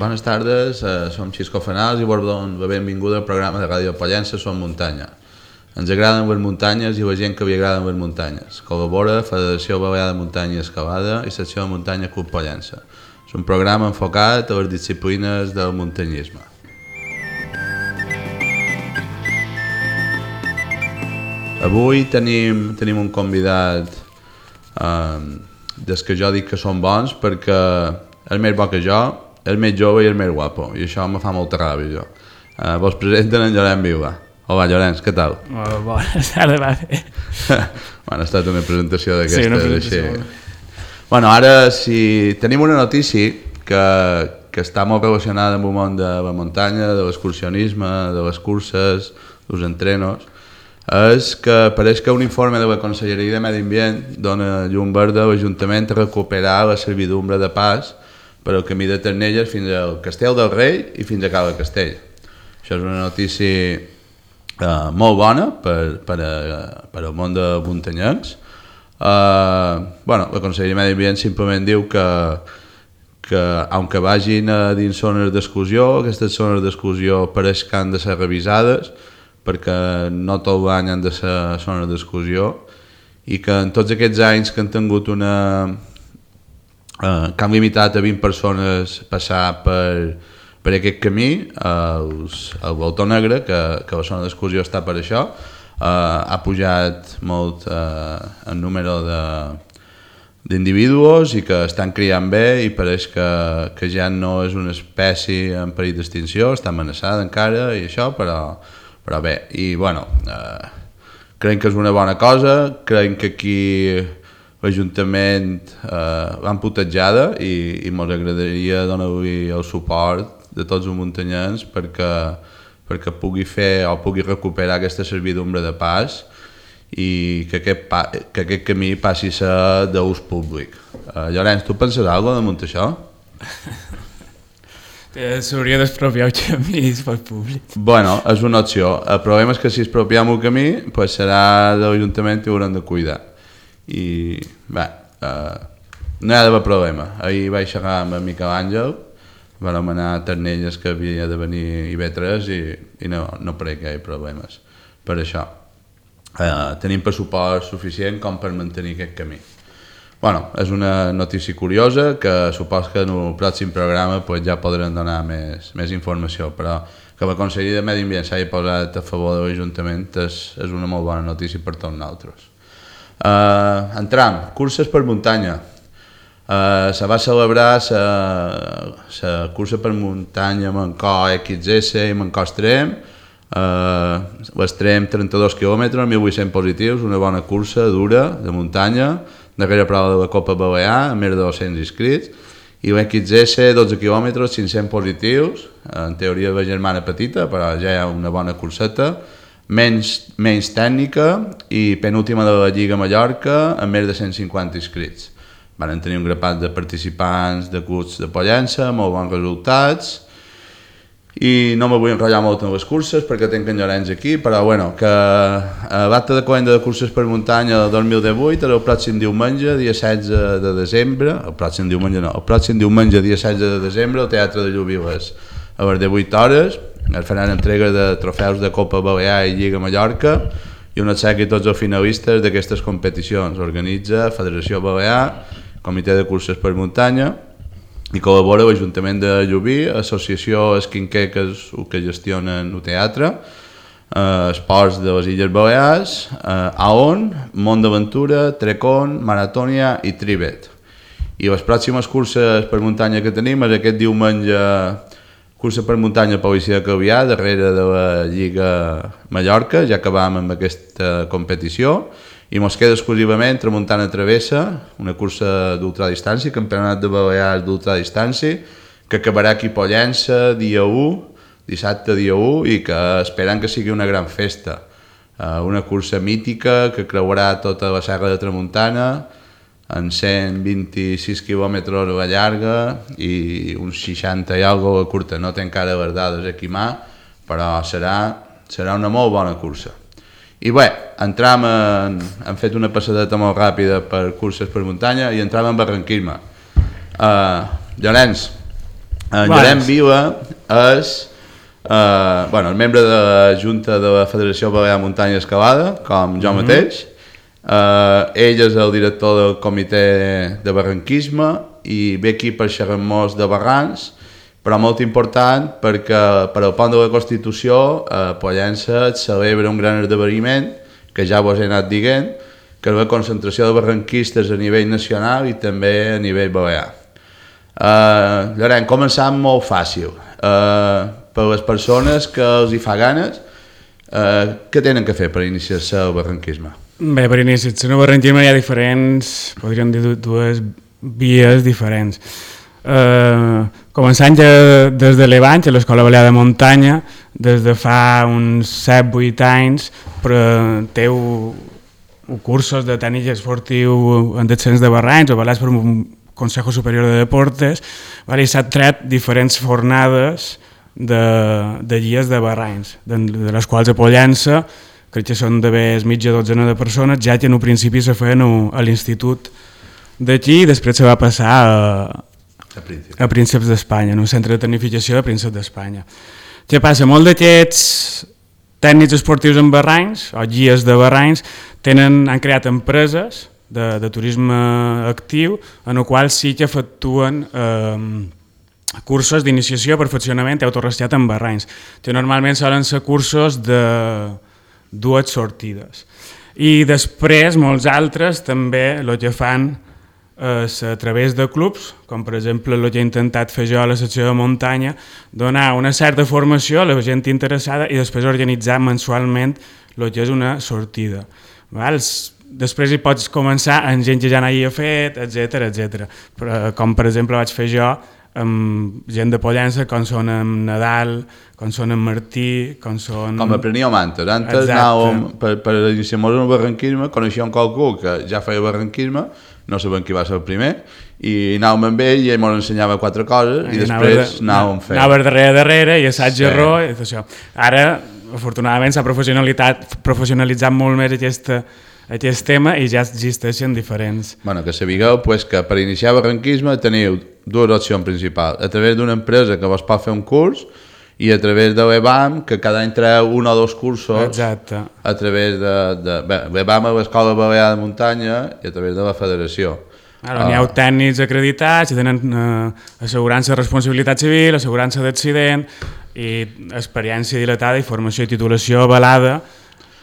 Bones tardes, som Xisco Fanals i vos donem la benvinguda al programa de Ràdio Pollença Som Muntanya. Ens agraden les muntanyes i la gent que li agraden les muntanyes. Col·labora Federació Balear de Muntanya i Escalada i Secció de Muntanya Club Pollença. És un programa enfocat a les disciplines del muntanyisme. Avui tenim un convidat des que jo dic que són bons perquè és més bo que jo, és més jove i és més guapo, i això me fa molta ràbia jo. Vos presenten en Llorenç Vila. Hola Llorenç, què tal? Bones tardes, va bé. Bueno, ha estat una presentació d'aquestes. Sí, una presentació. Bueno, ara si tenim una notícia que està molt relacionada amb el món de la muntanya, de l'excursionisme, de les curses, dels entrenos, és que pareix que un informe de la Conselleria de Medi Ambient dona llum verda a l'Ajuntament a recuperar la servidumbre de pas per al camí de Ternelles fins al Castell del Rei i fins a Cala Castell. Això és una notícia molt bona per al món de muntanyencs. La Conselleria de Medi Ambient simplement diu que aunque vagin dins zones d'exclusió, aquestes zones d'exclusió pareix que han de ser revisades perquè no tot l'any han de ser zones d'exclusió i que en tots aquests anys que han tingut que han limitat a 20 persones passar per aquest camí, el Voltor Negre, que la zona d'exclusió està per això, ha pujat molt el número d'individus i que estan criant bé i pareix que ja no és una espècie en perill d'extinció, està amenaçada encara i això, però bé, i bueno, creiem que és una bona cosa, creiem que aquí l'Ajuntament l'han putejada i ens agradaria donar-li el suport de tots els muntanyens perquè pugui fer o pugui recuperar aquesta servidumbre de pas i que aquest camí passi a ser d'ús públic. Llorenç, tu penses alguna cosa damunt això? S'hauria d'expropiar el camí pel públic. Bueno, és una opció. El problema és que si expropiem el camí pues serà de l'Ajuntament i ho haurem de cuidar. I bé, no hi ha d'haver problema. Ahir vaig xerrar amb en Miquel Àngel, vam anar a Ternelles que havia de venir IB3 i no crec que hi hagi problemes per això. Tenim pressupost suficient com per mantenir aquest camí. Bueno, és una notícia curiosa que supos que en el pròxim programa pues, ja podrem donar més informació, però que la Conselleria de Medi Ambient s'hagi posat a favor de l'Ajuntament és una molt bona notícia per tots nosaltres. Entram, curses per muntanya. Se va celebrar la cursa per muntanya Mancor XS i Mancor Extrem, l'extrem 32 km, 1.800 positius, una bona cursa dura de muntanya, darrera prova de la Copa Balear, amb més de 200 inscrits, i l'XS 12 km, 500 positius, en teoria la germana petita, però ja hi ha una bona curseta, menys tècnica i penúltima de la Lliga Mallorca, amb més de 150 inscrits. Van tenir un grapat de participants de clubs de Pollença, molt bons resultats, i no me vull enrotllar molt en les curses perquè tinc en Llorenç aquí, però bueno, que l'acte de calenda de curses per muntanya del 2018 era el pròxim diumenge, dia 16 de desembre, el pròxim diumenge, dia 16 de desembre, al Teatre de Lluviles, a les 18 hores, es faran entrega de trofeus de Copa Balear i Lliga Mallorca i un obsequi a tots els finalistes d'aquestes competicions. Organitza Federació Balear, Comitè de Curses per Muntanya, i col·labora l'Ajuntament de Llubí, Associació Esquinquer, que és el que gestionen el teatre, Esports de les Illes Balears, AON, Mont d'Aventura, Trecon, Maratònia i Tribet. I les pròximes curses per muntanya que tenim és aquest diumenge cursa per muntanya Policia de Calvià, darrere de la Lliga Mallorca, ja acabam amb aquesta competició, i ens queda exclusivament Tramuntana Travessa, una cursa d'ultradistància, campionat de Balears d'ultradistància, que acabarà aquí a Pollença dia 1, dissabte dia 1, i que esperem que sigui una gran festa. Una cursa mítica que creuarà tota la serra de Tramuntana, en 126 quilòmetres a la llarga i uns 60 i alguna cosa a curta. No té encara les dades aquí a mà, però serà una molt bona cursa. I bé, hem fet una passadeta molt ràpida per curses per muntanya i entram en barranquisme. Llorenç, En Llorenç Vila és el membre de la Junta de la Federació Balear Muntanya Escalada, com jo mateix. Ell és el director del comitè de barranquisme i ve aquí per xerrar-nos de barrancs, però molt important perquè per al pont de la Constitució a Pollença es celebra un gran esdeveniment que ja vos he anat dient, que és la concentració de barranquistes a nivell nacional i també a nivell balear. Llorenç, començant molt fàcil. Per les persones que els hi fa ganes, què tenen que fer per iniciar-se al barranquisme? Bé, per iniciar-se al barranquisme hi ha diferents, podríem dir dues vies diferents. Començant ja des de l'Evant, a l'Escola Balear de Muntanya, des de fa uns 7-8 anys, teu cursos de tècnic esportiu en descens de barrancs, avalats per un Consejo Superior de Deportes, i s'han tret diferents fornades de guies de barrancs, de les quals a Pollença, crec que són d'haver mitja dotzena de persones, ja que en un principi se feien a l'institut d'aquí i després se va passar a Prínceps d'Espanya, en un centre de tecnificació de Prínceps d'Espanya. Què passa? Molts d'aquests tècnics esportius en barrancs, o guies de barrancs, han creat empreses de turisme actiu, en el qual sí que efectuen cursos d'iniciació, perfeccionament i autorrescat en barrancs, que normalment solen ser cursos de 2 sortides. I després molts altres també el que fan és a través de clubs, com per exemple el que he intentat fer jo a la secció de muntanya, donar una certa formació a la gent interessada i després organitzar mensualment el que és una sortida. Després hi pots començar amb gent que ja n'havia fet, etc. Com per exemple vaig fer jo amb gent de Pollença, com són en Nadal, com són en Martí, com són... Com aprenia mantes. Antes anàvem, per iniciar-nos en el barranquisme, coneixíem qualcú que ja feia barranquisme, no sabem qui va ser el primer, i anàvem amb ell i ell ens ensenyava 4 coses i després anàvem fent. Anava darrere i assaig-error i tot això. Ara, afortunadament, s'ha professionalitzat molt més aquest tema i ja existeixen diferents. Bueno, que sapigueu que per iniciar barranquisme teniu 2 opcions principals. A través d'una empresa que vos pot fer un curs i a través de l'EBAM, que cada any treu 1 o 2 cursos. Exacte. A través de l'EBAM a l'Escola Balear de Muntanya i a través de la Federació. N'hi ha tècnics acreditats i tenen assegurança de responsabilitat civil, assegurança d'accident i experiència dilatada i formació i titulació avalada.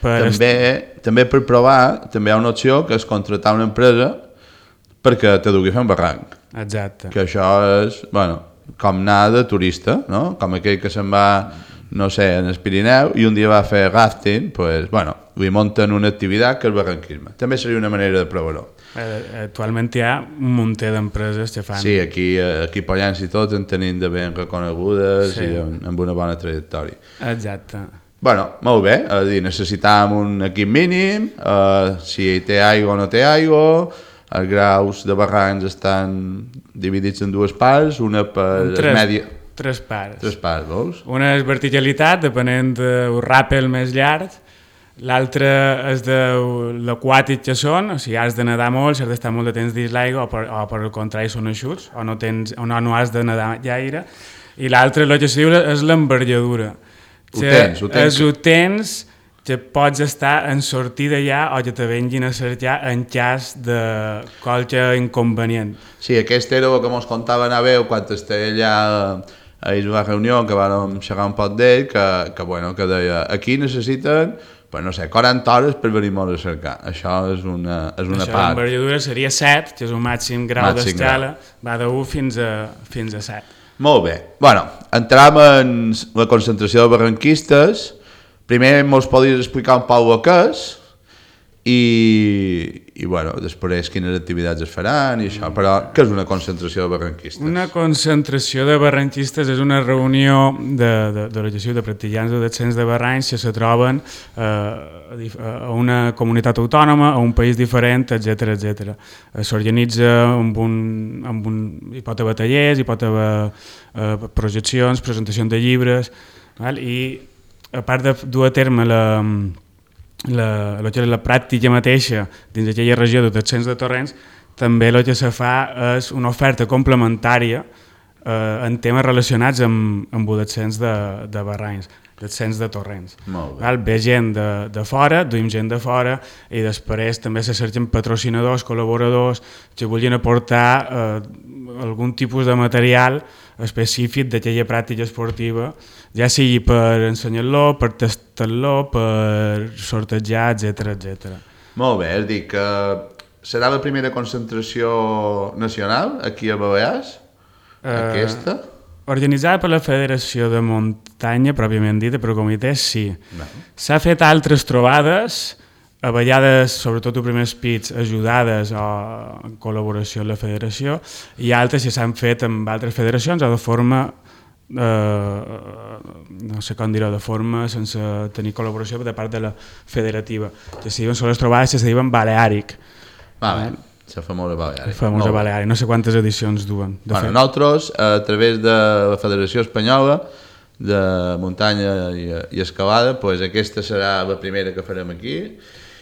També per provar, també hi ha una opció que és contractar una empresa perquè te dugui a fer un barranc. Exacte. Que això és, com anar de turista, no? Com aquell que se'n va, no sé, en el Pirineu i un dia va fer rafting, li munten una activitat que és barranquisme. També seria una manera de provar-ho. Actualment hi ha un munt d'empreses que fan... Sí, aquí a Pollença i tot en tenim de ben reconegudes i amb una bona trajectòria. Exacte. Molt bé, necessitàvem un equip mínim, si té aigua o no té aigua, els graus de barrancs estan dividits en 2 parts, una per mèdia... 3 parts. 3 parts, veus? Una és verticalitat, depenent del ràpel més llarg, l'altra és de l'aquàtic que són, o sigui, has de nedar molt, si has d'estar molt de temps dins l'aigua, o per el contrari són eixuts, o no has de nedar gaire, i l'altra, el que es diu, és l'envergadura. Ho tens que pots estar en sortida ja o que te venguin a cercar en cas de qualque inconvenient. Sí, aquest era el que ens contava Naveu quan estava allà a la reunió, que vam xerrar un poc d'ell, que deia, aquí necessiten, no sé, 40 hores per venir-nos a cercar. Això és una part. L'envergadura seria 7, que és un màxim grau d'escala, va de 1 fins a 7. Molt bé. Entrem en la concentració de barranquistes. Primer ens podries explicar un poc el que és i després quines activitats es faran i això. Però què és una concentració de barranquistes? Una concentració de barranquistes és una reunió de l'associació de practicants de descens de barrancs que se troben a una comunitat autònoma, a un país diferent, etc. S'organitza hi pot haver tallers, hi pot haver projeccions, presentacions de llibres, i a part de dur a terme la pràctica mateixa dins d'aquella regió de descens de torrents, també el que se fa és una oferta complementària en temes relacionats amb el descens de barranys, descens de torrents. Ve gent de fora, duim gent de fora i després també se cerquen patrocinadors, col·laboradors que vulguin aportar algun tipus de material específic d'aquella pràctica esportiva, ja sigui per ensenyar-lo, per tastar-lo, per sortejar, etc. Molt bé, és dir que serà la primera concentració nacional aquí a Balears? Aquesta? Organitzada per la Federació de Muntanya, pròpiament dita, per comitè, sí. S'ha fet altres trobades, a vegades, sobretot els primers pits, ajudades o en col·laboració amb la federació, i altres que s'han fet amb altres federacions o de forma, no sé com dir-ho, de forma sense tenir col·laboració de part de la federativa. Que se diuen, són les trobades que se diuen Balearic. La famosa Balearic. Famosa Balearic, no sé quantes edicions duen. Nosaltres, a través de la Federació Espanyola de Muntanya i Escalada, aquesta serà la primera que farem aquí.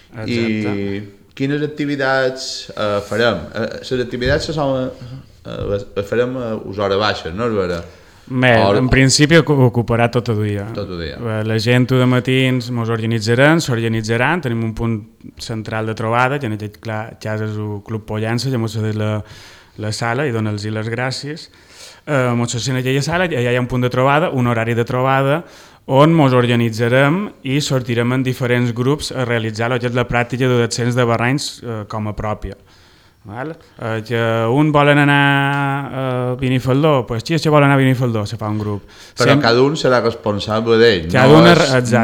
Exacte. I quines activitats farem? Les activitats les farem a hores baixes, no és vera? En principi ocuparà tot el dia. La gent de matins ens s'organitzaran, tenim un punt central de trobada, que en aquest cas és el Club Pollença, que ens cedeix la sala i donar-los les gràcies. Ens cedeix en aquella sala, allà hi ha un punt de trobada, un horari de trobada, on ens organitzarem i sortirem en diferents grups a realitzar el que és la pràctica de descens de barranys com a pròpia. Que un volen anar a Benifaldó, doncs qui és que vol anar a Benifaldó? Se fa un grup. Però cada un serà responsable d'ell,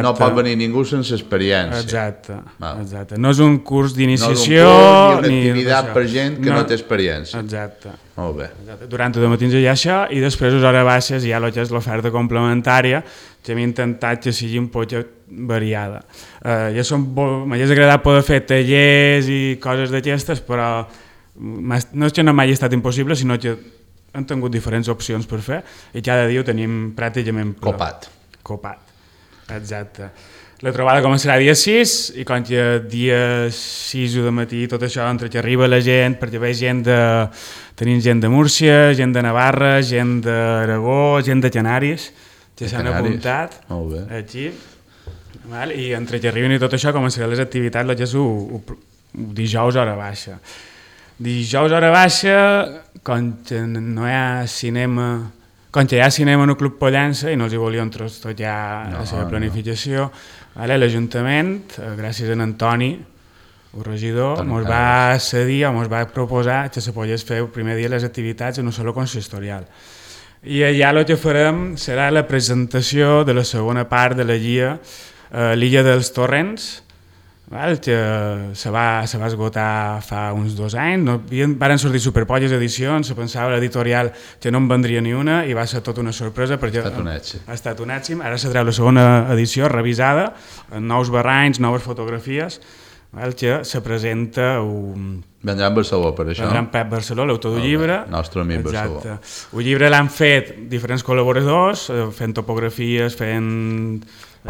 no pot venir ningú sense experiència. Exacte. No és un curs d'iniciació ni una activitat per gent que no té experiència. Exacte. Molt bé. Durant el matí hi ha això i després a les hores baixes hi ha el que és l'oferta complementària, que hem intentat que sigui un poc variada. M'hauria agradat poder fer tallers i coses d'aquestes, però no és que no m'hagi estat impossible, sinó que hem tingut diferents opcions per fer i cada dia ho tenim pràcticament copat. Exacte. La trobada començarà dia 6 i quan que dia 6 de matí tot això entre que arriba la gent, perquè ve tenim gent de Múrcia, gent de Navarra, gent d'Aragó, gent de Canaris que s'han apuntat aquí, i entre que arriben i tot això començaran les activitats el que és dijous hora baixa. Dijous hora baixa, quan no hi ha cinema, quan hi ha cinema en el Club Pollença i no els hi volien trastollar la seva planificació, l'Ajuntament, gràcies a Antoni, el regidor, ens va cedir o ens va proposar que se pogués fer el primer dia les activitats en un saló consistorial. I allà el que farem serà la presentació de la segona part de la guia l'Illa dels Torrents, que se va esgotar fa uns 2 anys. Van sortir superpolles edicions, se pensava l'editorial que no en vendria ni una i va ser tota una sorpresa perquè ha estat un èxit. Ara se treu la segona edició revisada, amb nous barranys, noves fotografies, que se presenta Vendrà en Barcelona, per això. Vendrà en Pep Barceló, l'autor del llibre. Nostre amic Barceló. El llibre l'han fet diferents col·laboradors, fent topografies, fent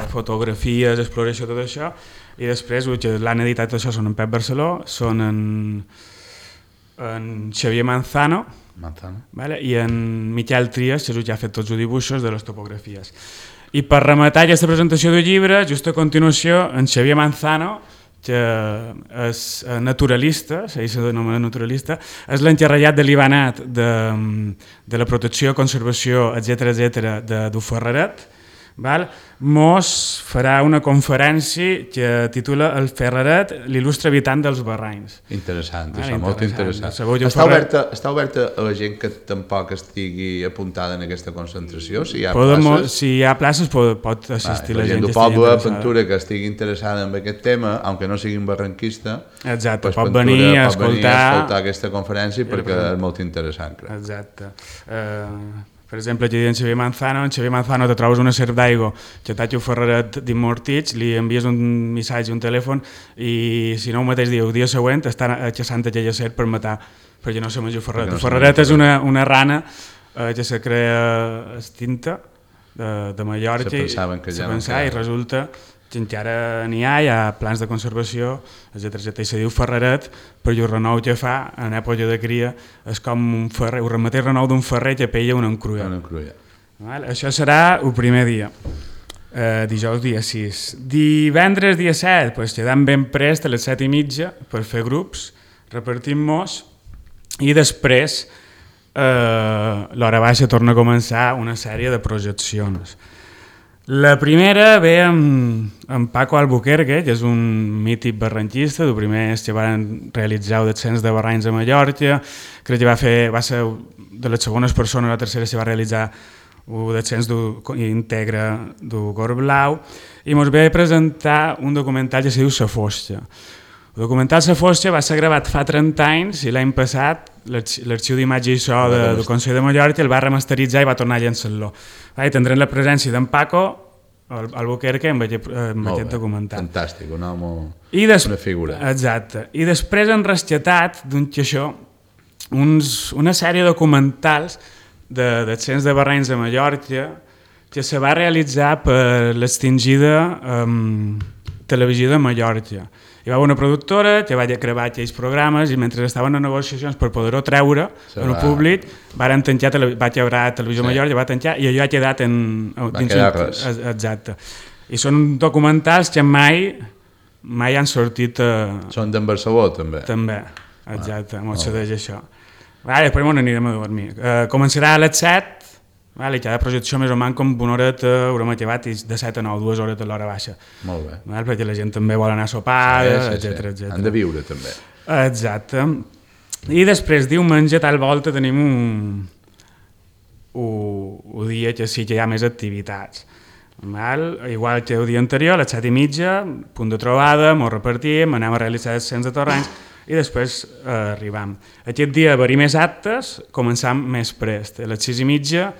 fotografies, exploració, tot això, i després l'han editat això són en Pep Barceló, són en Xavier Manzano i en Miquel Trias, que és el que ha fet tots els dibuixos de les topografies. I per rematar aquesta presentació del llibre, just a continuació, en Xavier Manzano, que és naturalista, se denomina naturalista, és l'encarregat de l'Ibanat de la protecció, conservació, etc. de Ferreret, mos farà una conferència que titula El Ferreret, l'il·lustre habitant dels barranys. Interessant, això, molt interessant. Està oberta a la gent que tampoc estigui apuntada en aquesta concentració? Si hi ha places, pot assistir la gent del poble de Ventura que estigui interessada en aquest tema, aunque no sigui un barranquista, pot venir a escoltar aquesta conferència perquè és molt interessant. Exacte. Per exemple, aquí en Xavier Manzano te trobes una serp d'aigua que t'ha un ferreret d'immortits, li envies un missatge, un telèfon, i si no el mateix dia, el dia següent, està caçant aquella serp per matar, perquè no se menja el ferreret. El ferreret és una rana que se crea extinta de Mallorca, i resulta encara n'hi ha plans de conservació, etcètera. I se diu ferreret, però el renou que fa en època de cria és com un ferrer, el mateix renou d'un ferrer que pella una encrulla. Això serà el primer dia, dijous dia 6. Divendres dia 7, pues, quedam ben prest a les 7:30 per fer grups, repartim-nos i després l'hora baixa torna a començar una sèrie de projeccions. La primera ve amb Paco Albuquerque, que és un mític barranquista, el primer que van realitzar el descens de Barranys a Mallorca, crec que va ser de les segones persones, la tercera se va realitzar el descens íntegre del Cor Blau, i ens ve a presentar un documental que se diu La Fosca. El documental La Fosca va ser gravat fa 30 anys i l'any passat l'Arxiu d'Imatge i So del Consell de Mallorca el va remasteritzar i va tornar a llançar-lo. Tindrem la presència d'en Paco Albuquerque amb aquest documental. Fantàstic, un home, una figura. Exacte. I després han rescatat d'un xaixó una sèrie de documentals de descens de Barranys a Mallorca que se va realitzar per l'extingida Televisió de Mallorca. Hi va haver una productora que va gravar aquells programes i mentre estaven en negociacions per poder-ho treure en el públic va quebrar Televisió Mallorca, va tancar i allò ha quedat exacte. I són documentals que mai han sortit... Són d'en Barcelona, també? També, exacte, m'ho cedeix això. Després n'anirem a dormir. Començarà a les 7, i cada projecció més o menys com una horeta, haurem acabat de 7 a 9, 2 hores a l'hora baixa. Molt bé. Perquè la gent també vol anar a sopar, etcètera. Han de viure també. Exacte. I després diumenge tal volta tenim un dia que sí que hi ha més activitats. Igual que el dia anterior, a les 7:30, punt de trobada, ens repartim, anem a realitzar descens de torrenys i després arribam. Aquest dia haver-hi més actes, començam més prest. A les 6:30,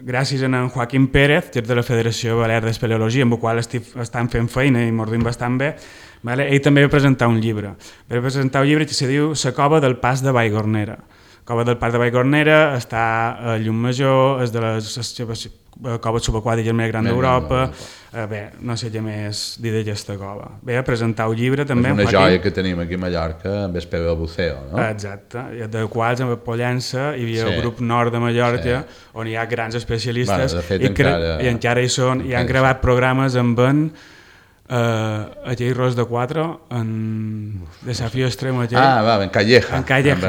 gràcies a en Joaquim Pérez, que és de la Federació Balear d'Espeleologia, amb el qual estan fent feina i mordim bastant bé, ell també va presentar un llibre. Va presentar un llibre que se diu La cova del Pas de Vallgornera. La cova del Pas de Vallgornera està a Llumajor, és de les coves subaquàtiques més grans d'Europa. Bé, no sé què més dir d'aquesta cova. Ve a presentar un llibre també. És una joia que tenim aquí a Mallorca, amb Espero del Buceo, no? Exacte, de quals amb Pollença hi havia el grup nord de Mallorca, on hi ha grans especialistes i encara hi són, i han gravat programes amb aquell Ros de 4 en Desafío Extremo aquell. En Calleja.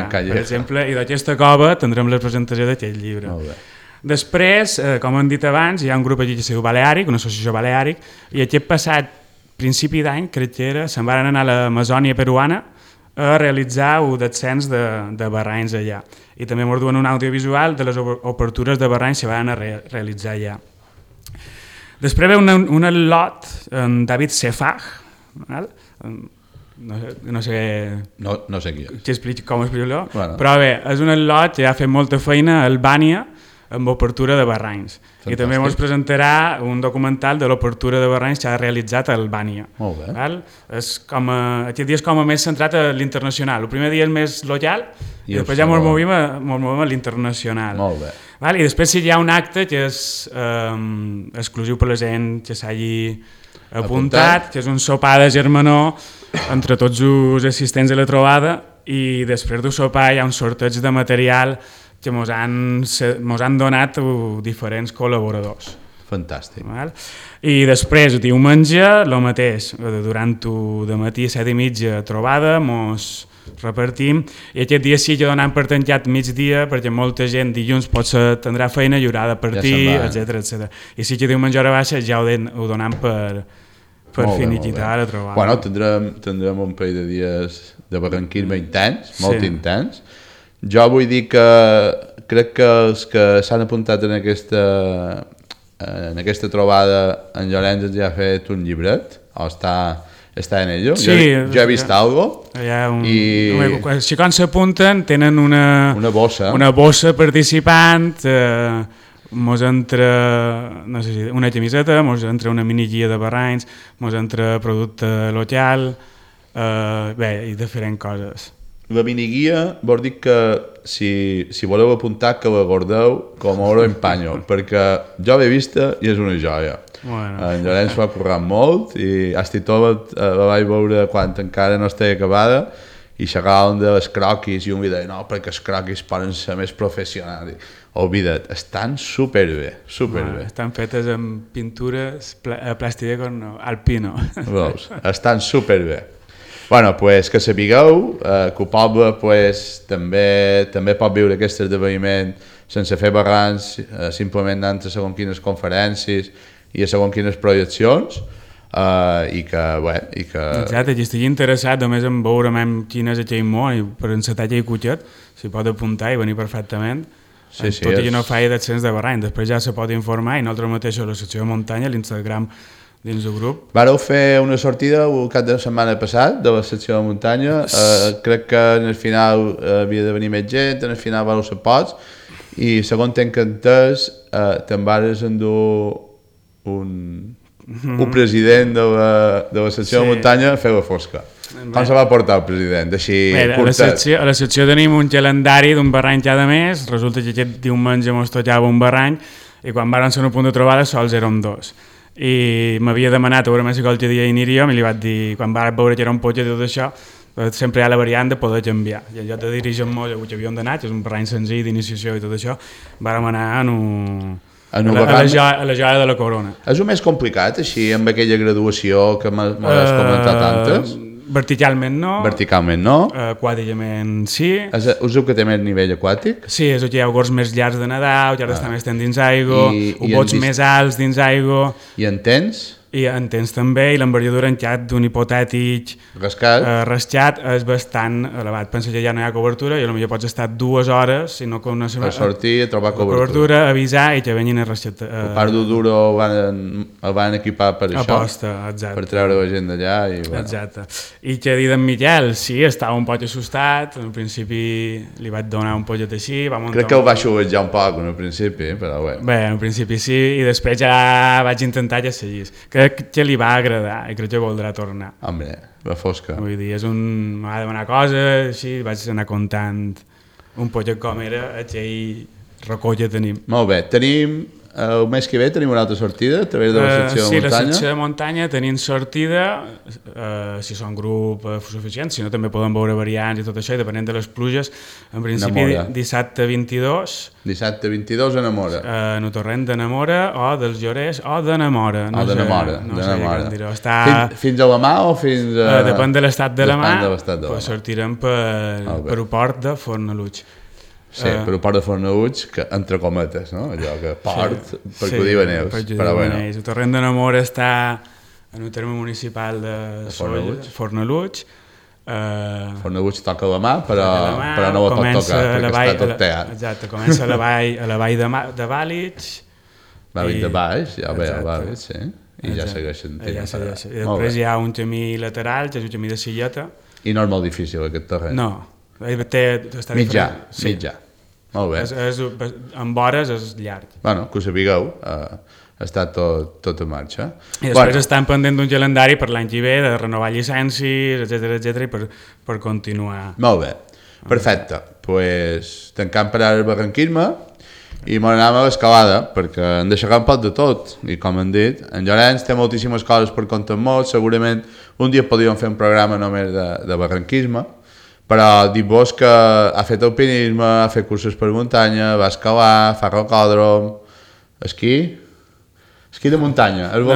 Per exemple, i d'aquesta cova tindrem la presentació d'aquell llibre. Molt bé. Després, com hem dit abans, hi ha un grup aquí que es diu Baleàric, una associació Baleàric, i aquest passat principi d'any, crec que era, se'n van anar a l'Amazònia peruana a realitzar el descens de barranys allà. I també ens duen un audiovisual de les obertures de barranys que van a realitzar allà. Després ve un lot en David Sefag, no sé com explicar-lo, però bé, és un lot que ha fet molta feina a Albània amb obertura de barranys. Fantàstic. I també ens presentarà un documental de l'obertura de barranys que ha realitzat a Albània. Molt bé. Aquest dia és com a més centrat a l'internacional. El primer dia és més local i després ja ens movim a l'internacional. Molt bé. I després si hi ha un acte que és exclusiu per la gent que s'hagi apuntat, que és un sopar de germanor entre tots els assistents a la trobada, i després del sopar hi ha un sorteig de material que ens han donat diferents col·laboradors. Fantàstic. I després, diumenge, el mateix, durant el matí a 7:30 trobada, ens repartim, i aquest dia sí que donem per tancat migdia, perquè molta gent dilluns potser tindrà feina i haurà de partir, etcètera. I sí que diumenge hora baixa ja ho donem per finiquitar la trobada. Bueno, tindrem un parell de dies de barranquisme intens, molt intens. Jo vull dir que crec que els que s'han apuntat en aquesta trobada, en Llorenç ja ha fet un llibret, o està en ello. Sí, jo he vist algo. Si quan s'apunten tenen una bossa participant, mos entra una camiseta, mos entra una mini guia de barranys, mos entra producte local, i diferents coses. la miniguia vol dir que si voleu apuntar que la guardeu com a oro en panyo, perquè jo l'he vista i és una joia. Bueno. En Llorenç va currar molt i Astitova la vaig veure quan encara no estava acabada i xerràvem de les croquis i un deia, no, perquè els croquis poden ser més professionals. Oblida't, estan superbé, superbé. Bueno, estan fetes amb pintures plàstic alpino. Veus? Estan superbé. Bueno, pues que sapigueu que el poble pues, també pot viure aquest esdeveniment sense fer barrans, simplement anant a segons quines conferències i a segons quines projeccions, i que... Exacte, qui estigui interessat només en veure quin és aquell món i per encetar aquell cotxet s'hi pot apuntar i venir perfectament. Sí, tot i que no faig d'ascens de barrany, després ja se pot informar i nosaltres mateixos a la secció de muntanya, a l'Instagram dins del grup. Vareu fer una sortida el cap de setmana passat de la secció de muntanya, crec que en el final havia de venir més gent, en el final vareu ser pocs i segons tenc entès te'n vares endur un president de la secció de muntanya a fer la fosca. Com se va portar el president? Així curtet. A la secció tenim un calendari d'un barrany cada mes, resulta que aquest diumenge mos tocava un barrany i quan van ser un punt de trobada sols érem dos. I m'havia demanat a veure si qualque dia hi aniríem i li vaig dir, quan vaig veure que era un potge de tot això, sempre hi ha la variant de poder canviar. I en lloc de dirigir-nos a on havíem d'anar, que és un barrany senzill d'iniciació i tot això, vam anar a la joia de la corona. És el més complicat, així, amb aquella graduació que m'has comentat antes? Verticalment no. Verticalment no. Aquàticament sí. És el que té més nivell aquàtic? Sí, és el que hi ha gorgs més llargs de nedar, que ara està més dins aigua, bots més alts dins aigua. I en tens? I en tens també, i l'envergadura en xat d'un hipotètic rascat és bastant elevat. Pensa que ja no hi ha cobertura i potser pots estar 2 hores si no coneixem... A sortir, a trobar cobertura. Avisar i que venguin a rascat. El parc d'Uduro el van equipar per això. Aposta, exacte. Per treure la gent d'allà. Exacte. I que dir d'en Miquel, sí, estava un poc assustat, al principi li vaig donar un pollet així. Crec que el va xuvejar un poc al principi, però bé. Bé, al principi sí, i després ja vaig intentar que seguís. Crec que li va agradar i crec que voldrà tornar. Home, la fosca. Vull dir, m'ha de demanar coses, així, vaig anar comptant un pollet com era, aquell racó que tenim. Molt bé, el mes que ve tenim una altra sortida a través de la secció de muntanya? Sí, la secció de muntanya tenim sortida, si són grup suficient, si no també poden veure variants i tot això, i depenent de les pluges, en principi dissabte 22. Dissabte 22 a Namora. En el torrent de Namora o dels Llorers o de Namora. No de Namora. Fins a la mà o fins a... Depèn de l'estat de la mà, pues sortirem per el port de Fornalutx. Sí, per el port de Fornalutx, que entre cometes, no? Allò que port, perquè ho diuen ells. El torrent de Namora està en el terme municipal de Fornalutx. Fornalutx toca la mà, però no la pot tocar, perquè està tot teat. Exacte, comença a la vall de Vàlits. Vàlits de baix, ja ve a Vàlits, sí. I ja segueixen. I després hi ha un camí lateral, que és un camí de silleta. I no és molt difícil aquest terreny? No. Mitjà. Molt bé. Amb hores és llarg. Bueno, que ho sapigueu, està tot en marxa. I després estan pendent d'un calendari per l'any que ve, de renovar llicències, etcètera, i per continuar. Molt bé, perfecte. Doncs tancant per ara el barranquisme i m'anàvem a l'escalada, perquè hem de xerrar un poc de tot. I com hem dit, en Llorenç té moltíssimes coses per contar molt, segurament un dia podríem fer un programa només de barranquisme, però dic-vos que ha fet alpinisme, ha fet cursos per muntanya, va escalar, fa rocòdrom, esquí de muntanya, és bo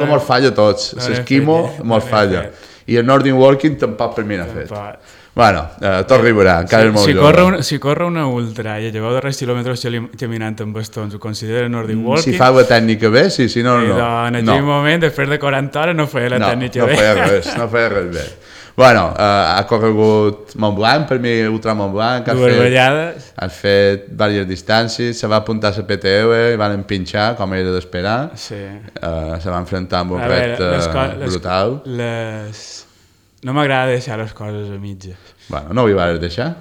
que mos falla a tots, l'esquimo mos falla, i el Nordic Walking tampoc per mi n'ha fet. Bueno, tot arribarà, encara és molt jove. Si corre una ultra i lleveu de res quilòmetres caminant amb bastons, ho considera Nordic Walking? Si fa la tècnica bé, sí, si no, no. En aquell moment, després de 40 hores, no feia la tècnica bé. No feia res bé. Bueno, ha corregut Montblanc, per mi Ultra Montblanc. Dues vegades. Ha fet diverses distàncies, se va apuntar a la PTU i van empinxar, com era d'esperar. Sí. Se va enfrontar amb un repte brutal. No m'agrada deixar les coses a mitges. Bueno, no ho hi vas deixar?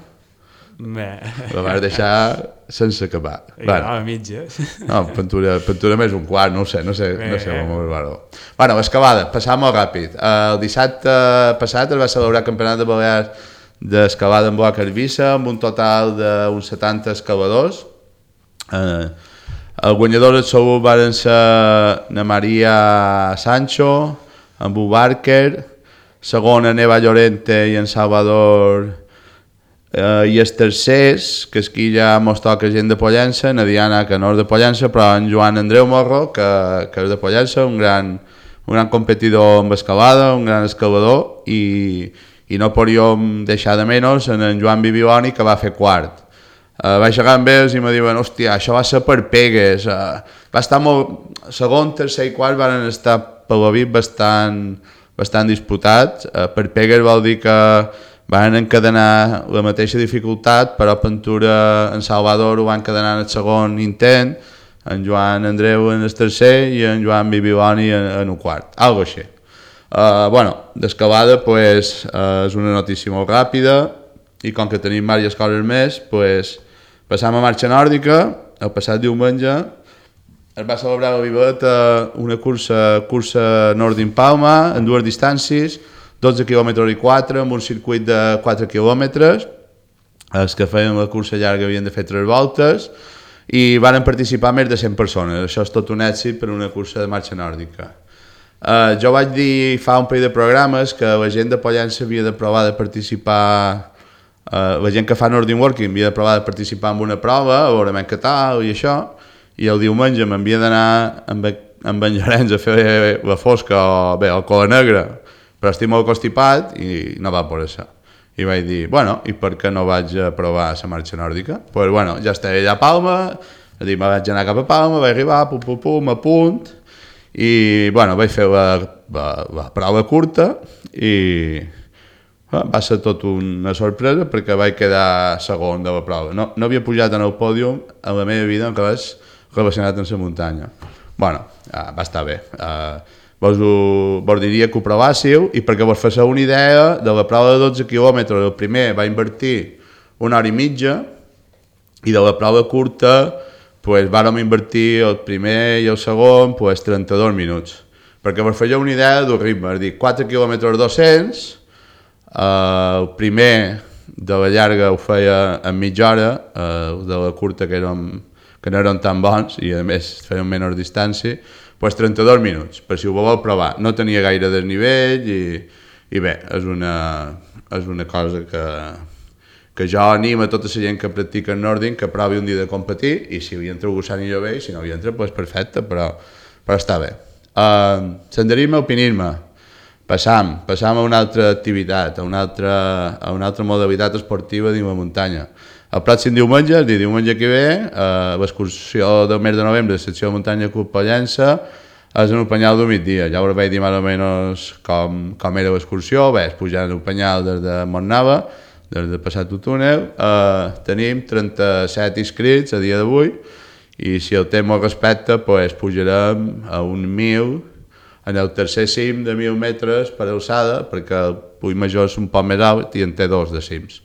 Bé. La vas deixar sense acabar. A mitges. No, pintura més un quart, no sé com ho veureu. Bueno, l'escalada, passava molt ràpid. El dissabte passat es va celebrar el Campionat de Balears d'escalada en boa carbissa, amb un total d'uns 70 escaladors. El guanyador absolut van ser na Maria Sancho, en Bu Barker, segona Neva Llorente i en Salvador, i els tercers, que aquí ja mos toca gent de Pollença, na Diana, que no és de Pollença, però en Joan Andreu Morro, que és de Pollença, un gran competidor amb escalada, un gran escalador, i no podíem deixar de menys en Joan Bibioni, que va fer quart. Vaig llegar amb ells i me diuen, hòstia, això va ser per pegues. Va estar molt... Segon, tercer i quart van estar per la VIP bastant disputats. Per pegues vol dir que van encadenar la mateixa dificultat, però Pentura en Salvador ho van encadenar en el segon intent, en Joan Andreu en el tercer i en Joan Bibiloni en el quart, algo així. D'escalada pues, és una notícia molt ràpida i com que tenim diverses coses més, pues, passam a marxa nòrdica. El passat diumenge es va celebrar a Vivet una cursa Nordin Palma en dues distàncies, 12 km i 4, amb un circuit de 4 km. Els que feien la cursa llarga havien de fer 3 voltes i van participar més de 100 persones. Això és tot un èxit per una cursa de marxa nòrdica. Jo vaig dir fa un parell de programes que la gent de Pollença havia de provar de participar, la gent que fa Nordin Walking havia de provar de participar en una prova, a veure què tal i això, i el diumenge m'havia d'anar amb en Llorenç a fer la fosca o cola negra, però estic molt constipat i no va poder ser. I vaig dir, i per què no vaig a provar la marxa nòrdica? Doncs ja estava allà a Palma, me vaig anar cap a Palma, vaig arribar, a punt, i vaig fer la prova curta i va ser tot una sorpresa perquè vaig quedar segon de la prova. No havia pujat en el pòdium en la meva vida en res relacionat amb la muntanya. Va estar bé. Vos diria que ho provàssiu i perquè vos fassiu una idea de la prova de 12 quilòmetres, el primer va invertir 1 hora i mitja i de la prova curta vàrem invertir el primer i el segon 32 minuts. Perquè vos fassiu una idea del ritme, és a dir, 4 quilòmetres 200, el primer de la llarga ho feia en mitja hora, de la curta que no eren tan bons i a més feien menys distància, 32 minuts, per si ho voleu provar. No tenia gaire desnivell i bé, és una cosa que jo animo a tota la gent que practica Nordin que provi un dia de competir i si hi entra algú s'anirà bé i si no hi entra, perfecte, però està bé. Senderisme, alpinisme. Passam a una altra activitat, a una altra modalitat esportiva dins la muntanya. El pròxim diumenge, el diumenge que ve, l'excursió del mes de novembre de la secció de muntanya Club Pollença és en el penyal del migdia. Ja us vaig dir més o menys com era l'excursió. És pujar en el penyal des de Montnava, des de passat el túnel. Tenim 37 inscrits a dia d'avui i si el temps ho respecta, pujarem a un 1.000 en el tercer cim de 1.000 metres per alçada, perquè el Puig Major és un poc més alt i en té 2 de cims.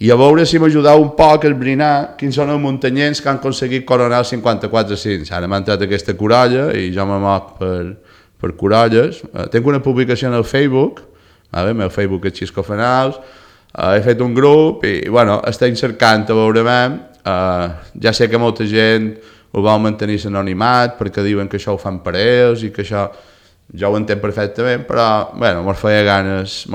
I a veure si m'ajudeu un poc a esbrinar quins són els muntanyens que han aconseguit coronar els 54 cims. Ara m'ha entrat aquesta corolla i jo me moc per corolles. Tinc una publicació en el Facebook, el meu Facebook és Xisco Fanals, he fet un grup i estem cercant a veure ja sé que molta gent ho vol mantenir l'anonimat perquè diuen que això ho fan per ells i que això jo ho entenc perfectament, però mos feia ganes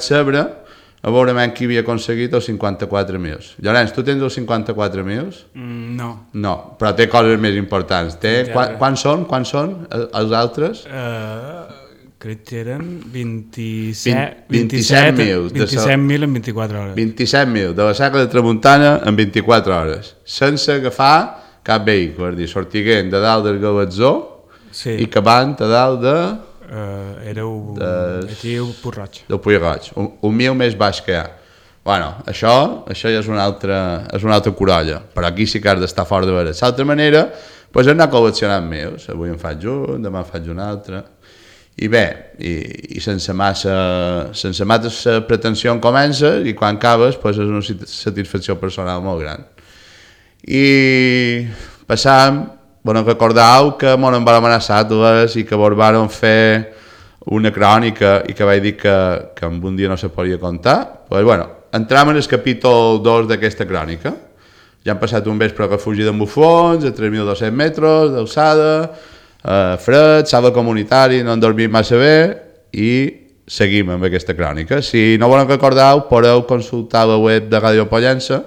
saber a veure qui havia aconseguit els 54.000. Llorenç, tu tens els 54.000? No. No, però té coses més importants. Quants són els altres? Crec que eren 27.000 en 24 hores. 27.000 de la Serra de Tramuntana en 24 hores, sense agafar cap vehicle, és a dir, sortiguent de dalt del Galatzó i acabant a dalt de... aquí el Puig Roig. Del Puig Roig, un 1.000 més baix que hi ha. Això ja és una altra corolla, però aquí sí que has d'estar fort de veure. D'altra manera, anar col·leccionant meus. Avui en faig un, demà en faig un altre. I bé, i sense massa pretensió en comences i quan acabes és una satisfacció personal molt gran. I passam, recordeu que m'ho van amenaçar i que vos varen fer una crònica i que vaig dir que en un dia no se podia contar. Pues, bueno, entram en el capítol 2 d'aquesta crònica. Ja han passat un vespre a refugi d'en Bufons, a 3.200 metres d'alçada, fred, sala comunitari, no han dormit massa bé i seguim amb aquesta crònica. Si no volen recordar, podeu consultar la web de Ràdio Pollença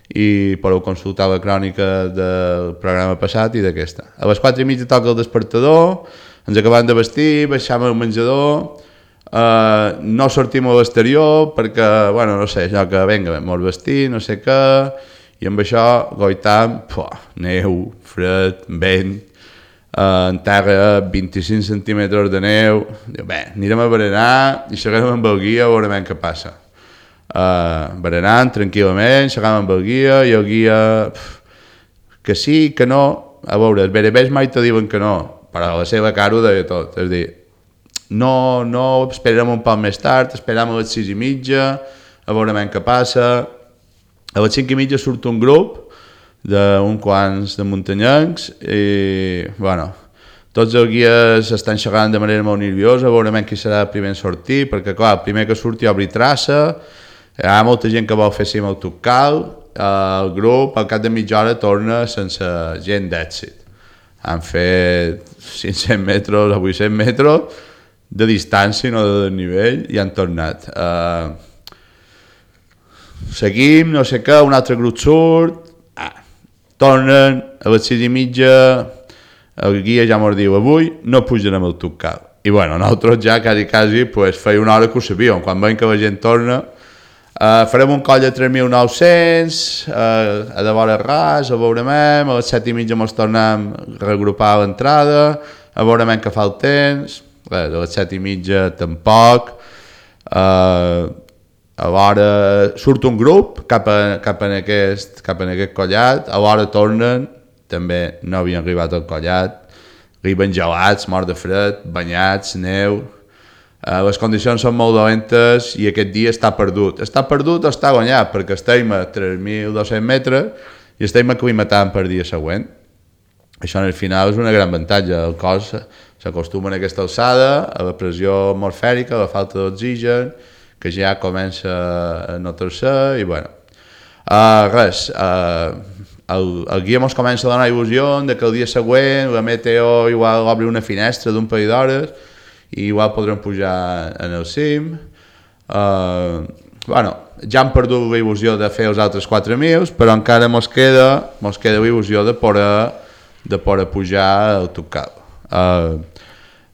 i podeu consultar la crònica del programa passat i d'aquesta. A les 4:30 toca el despertador, ens acabem de vestir, baixam al menjador, no sortim a l'exterior perquè, bueno, no sé, això que venga, mos vestir, no sé què, i amb això goitam, neu, fred, vent, en terra 25 centímetres de neu. Diu, bé, anirem a berenar i seguirem amb el guia, veurem què passa. Berenant tranquil·lament, seguim amb el guia i el guia que sí, que no, a veure, els berebers mai te diuen que no, però la seva cara ho deia tot, és a dir, no, esperem un poc més tard, esperem a les 6:30, a veurem què passa. A les 5:30 surt un grup d'un quants de muntanyencs i, bueno, tots els guies estan xerrant de manera molt nerviosa, veurem qui serà el primer en sortir, perquè, clar, el primer que surti obri traça, hi ha molta gent que vol fer cim al Tucal, el grup al cap de mitja hora torna sense gent d'èxit. Han fet 500 metres o 800 metres de distància, no de desnivell, i han tornat. Seguim, no sé què, un altre grup surt, tornen, a les 6:30, el guia ja mos diu, avui no pujarem al Tucal. I bueno, nosaltres ja quasi pues, feia una hora que ho sabíem, quan veiem que la gent torna, farem un coll de 3.900, a de vora ras, a veurem, a les 7:30 ens tornem a regrupar a l'entrada, a veurem què fa el temps, a les 7:30 tampoc, a l'hora surt un grup cap en aquest collat, a l'hora tornen, també no havien arribat al collat, arriben gelats, morts de fred, banyats, neu, les condicions són molt dolentes i aquest dia està perdut. Està perdut o està guanyat, perquè estem a 3.200 metres i estem aclimatant per dia següent. Això al final és una gran avantatge. El cos s'acostuma a aquesta alçada, a la pressió atmosfèrica, a la falta d'oxigen, que ja comença a notar-se i bueno. Res, el guia ens comença a donar il·lusió que el dia següent la meteo igual obre una finestra d'un parell d'hores i igual podrem pujar en el cim. Bueno, ja hem perdut la il·lusió de fer els altres 4.000, però encara ens queda la il·lusió de poder pujar al Tucal.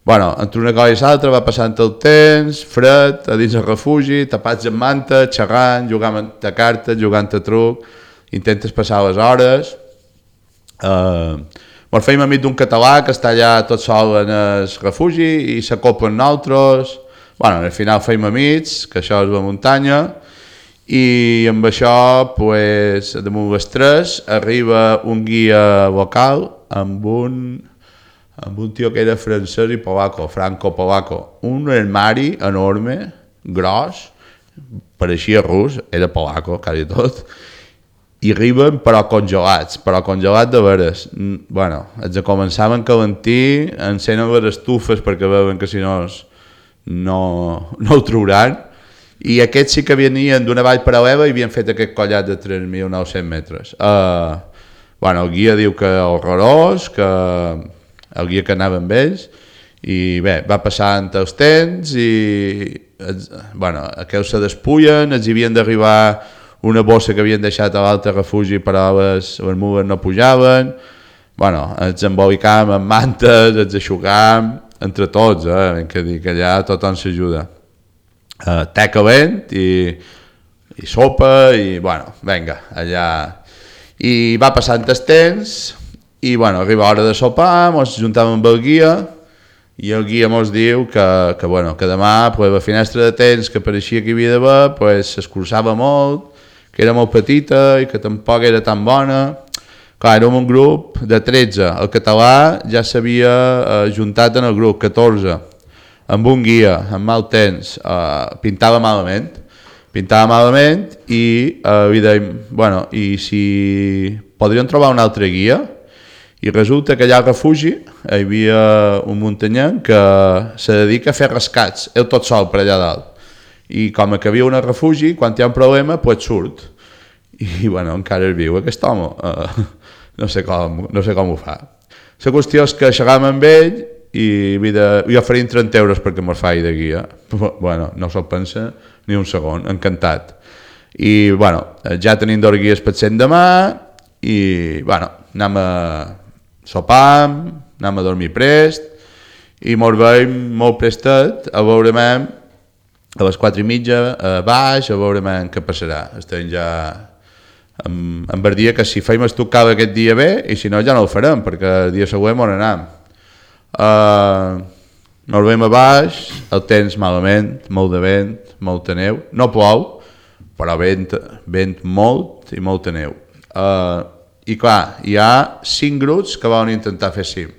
Bueno, entre una cosa i l'altra va passant el temps, fred, a dins el refugi, tapats amb manta, xerrant, jugant a cartes, jugant a truc, intentes passar les hores. Ens feim amic d'un català que està allà tot sol en el refugi i s'acopa amb nosaltres. Bueno, al final feim amics, que això és la muntanya, i amb això, pues, damunt les 3, arriba un guia local amb un tio que era francès i polaco, franco-polaco, un armari enorme, gros, pareixia rus, era polaco, quasi tot, i arriben però congelats de veres. Bueno, els començaven a calentir, encenen les estufes perquè veuen que si no ho trauran, i aquests sí que venien d'una vall paral·lela i havien fet aquest collat de 3.900 metres. Bueno, el guia diu que horrorós, que el guia que anava amb ells, i bé, va passant els temps i, bueno, aquells se despullen, els havien d'arribar una bossa que havien deixat a l'altre refugi però les mules no pujaven, bueno, ens embolicàvem amb mantes, ens aixugàvem, entre tots, hem de dir que allà tothom s'ajuda. Te calent i sopa i, bueno, vinga, allà. I va passant el temps i, bueno, arriba l'hora de sopar, ens juntàvem amb el guia i el guia ens diu que demà pues, la finestra de temps que pareixia que hi havia d'haver pues, s'escurçava molt, que era molt petita i que tampoc era tan bona. Clar, érem un grup de 13, el català ja s'havia juntat en el grup, 14, amb un guia, amb mal temps, pintava malament i dèiem, bueno, i si podríem trobar un altre guia? I resulta que allà al refugi hi havia un muntanyenc que se dedica a fer rescats, ell tot sol per allà dalt. I com que viu en el refugi, quan hi ha un problema, pues surt. I bueno, encara és viu aquest home. No sé com ho fa. La qüestió és que xerram amb ell i oferim 30 euros perquè mos faci de guia. Bueno, no se'l pensa ni un segon, encantat. I bueno, ja tenim 2 guies per cent demà i bueno, anem a sopar, anem a dormir prest i mos veiem molt prestet a veurem a les 4:30 a baix, a veurem què passarà. Estem ja em va dir que si feim el tocava aquest dia bé i si no ja no el farem perquè el dia següent on anem. Ens veiem a baix, el temps malament, molt de vent, molta neu, no plou però vent molt i molta neu. I clar, hi ha 5 grups que volen intentar fer cim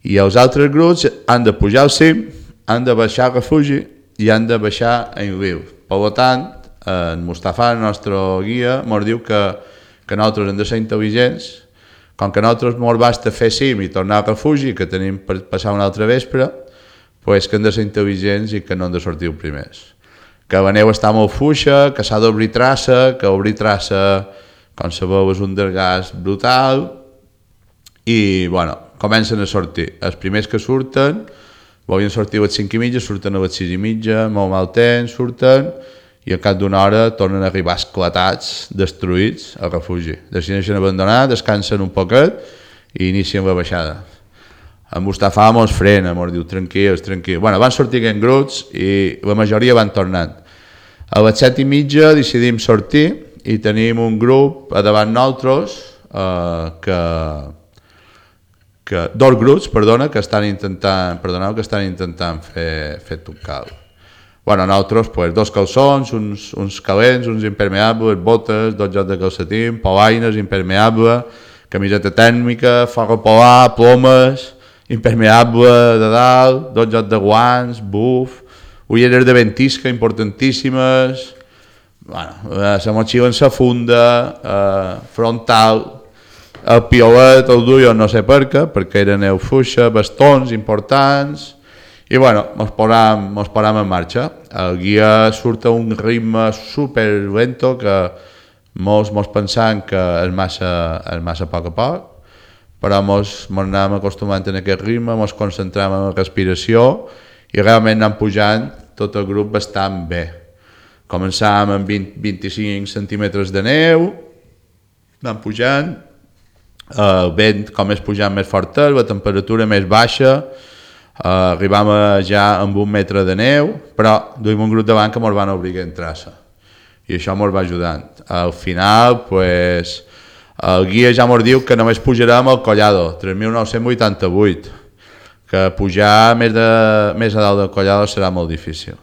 i els altres grups han de pujar al cim, han de baixar al refugi i han de baixar en riu. Per tant, en Mustafà, el nostre guia, ens diu que nosaltres hem de ser intel·ligents, com que nosaltres ens basta fer cim i tornar al refugi, que tenim per passar una altra vespre, pues que hem de ser intel·ligents i que no hem de sortir els primers. Que la neu està molt fluixa, que s'ha d'obrir traça, que obrir traça, com sabeu, és un desgast brutal, i bueno, comencen a sortir. Els primers que surten, volien sortir a les 5:30, surten a les 6:30, molt mal temps, surten, i al cap d'una hora tornen a arribar esclatats, destruïts al refugi. Decideixen abandonar, descansen un poquet i inicien la baixada. En Mustafà mos frena, mos diu tranquils. Bueno, van sortir en grups i la majoria van tornant. A les 7:30 decidim sortir i tenim un grup a davant nosaltres dos grups, que estan intentant fer tocar. Bueno, nosaltres, pues, 2 calçons, uns calents, uns impermeables, botes, 2 jocs de calcetín, polaines, impermeable, camiseta tèrmica, forro polar, plomes, impermeable de dalt, 2 jocs de guants, buf, ulleres de ventisca importantíssimes, bueno, la motxilla en sa funda, frontal, el piolet el duio no sé per què, perquè era neu fluixa, bastons importants, i bueno, mos posam en marxa. El guia surt a un ritme super lento que molts pensaven que és massa a poc, però mos anem acostumant a aquest ritme, mos concentrem en la respiració i realment anem pujant tot el grup bastant bé. Començàvem amb 25 centímetres de neu, anem pujant, el vent com és pujant més fort, la temperatura més baixa, arribàvem ja amb 1 metre de neu, però duim un grup davant que ens van obligar en traça i això ens va ajudant. Al final, pues, el guia ja ens diu que només pujarem al Collado, 3.988, que pujar més a dalt del Collado serà molt difícil.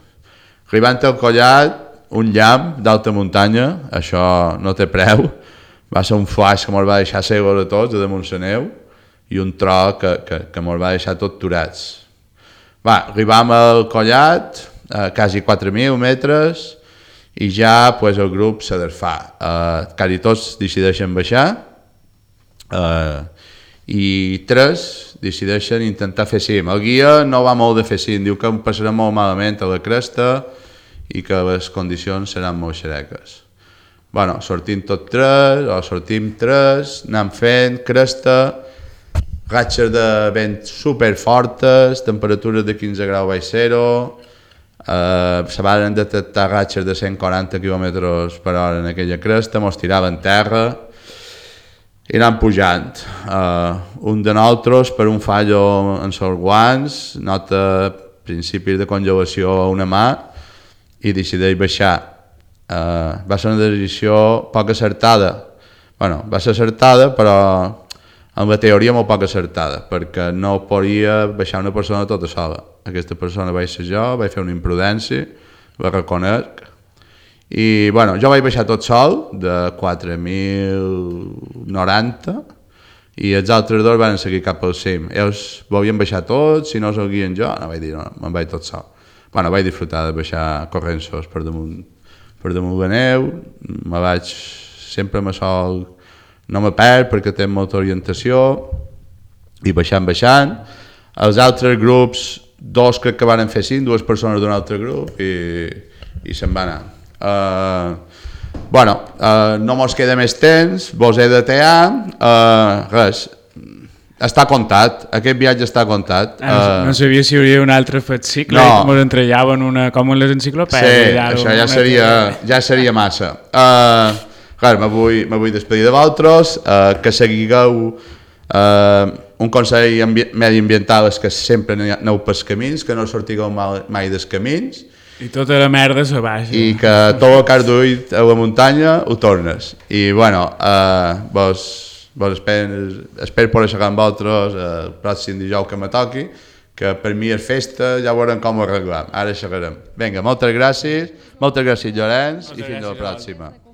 Arribant al Collat, un llamp d'alta muntanya, això no té preu, va ser un flash que ens va deixar cegos a tots, a damunt la neu, i un tro que ens va deixar tots turats. Arribam al Collat, a quasi 4.000 metres, i ja pues, el grup se desfà. Quasi tots decideixen baixar, i 3 decideixen intentar fer cim. El guia no va molt de fer cim, diu que passarà molt malament a la cresta i que les condicions seran molt xereques. Bueno, sortim 3, anem fent cresta, ratxes de vent superfortes, temperatures de 15 graus baix zero, se van detectar ratxes de 140 km per hora en aquella cresta, mos tiraven terra i anem pujant. Un de nosaltres, per un fallo en els guants, nota principis de congelació a una mà i decideix baixar. Va ser una decisió poc acertada. Bueno, va ser acertada, però en la teoria molt poc acertada, perquè no podia baixar una persona tota sola. Aquesta persona vaig ser jo, vaig fer una imprudència, la reconec, i bueno, jo vaig baixar tot sol, de 4.090, i els altres 2 van seguir cap al cim. Ells volien baixar tots, si no seguien jo, no vaig dir, no, me'n vaig tot sol. Bueno, vaig disfrutar de baixar corrents per damunt la neu, sempre me sol no me perd perquè té molta orientació, i baixant. Els altres grups, dos crec que van fer 5, 2 persones d'un altre grup i se'n va anar. No mos queda més temps, vos he de tear, res, està comptat, aquest viatge està comptat. No sabia si hi hauria un altre fascicle i com ens entrellaven com en les enciclopèdies. Sí, això ja seria massa. Me vull despedir de vosaltres, que seguigueu un consell mediambiental és que sempre aneu pels camins, que no sortigueu mai dels camins. I tota la merda se baixa. I que tot el que has duit a la muntanya ho tornes. I vos espero poder xerrar amb vosaltres el pròxim dijous que me toqui, que per mi és festa, ja veurem com ho arreglem. Ara xerrarem. Vinga, moltes gràcies Llorenç, i fins a la pròxima.